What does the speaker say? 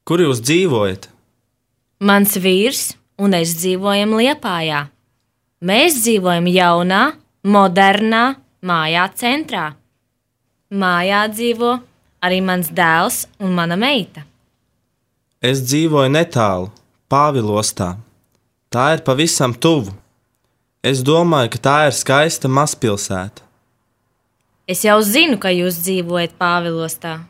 Kur jūs dzīvojat? Mans vīrs un es dzīvojam Liepājā. Mēs dzīvojam jaunā, modernā mājā centrā. Mājā dzīvo arī mans dēls un mana meita. Es dzīvoju netālu, Pāvilostā. Tā ir pavisam tuvu. Es domāju, ka tā ir skaista mazpilsēta. Es jau zinu, ka jūs dzīvojat Pāvilostā.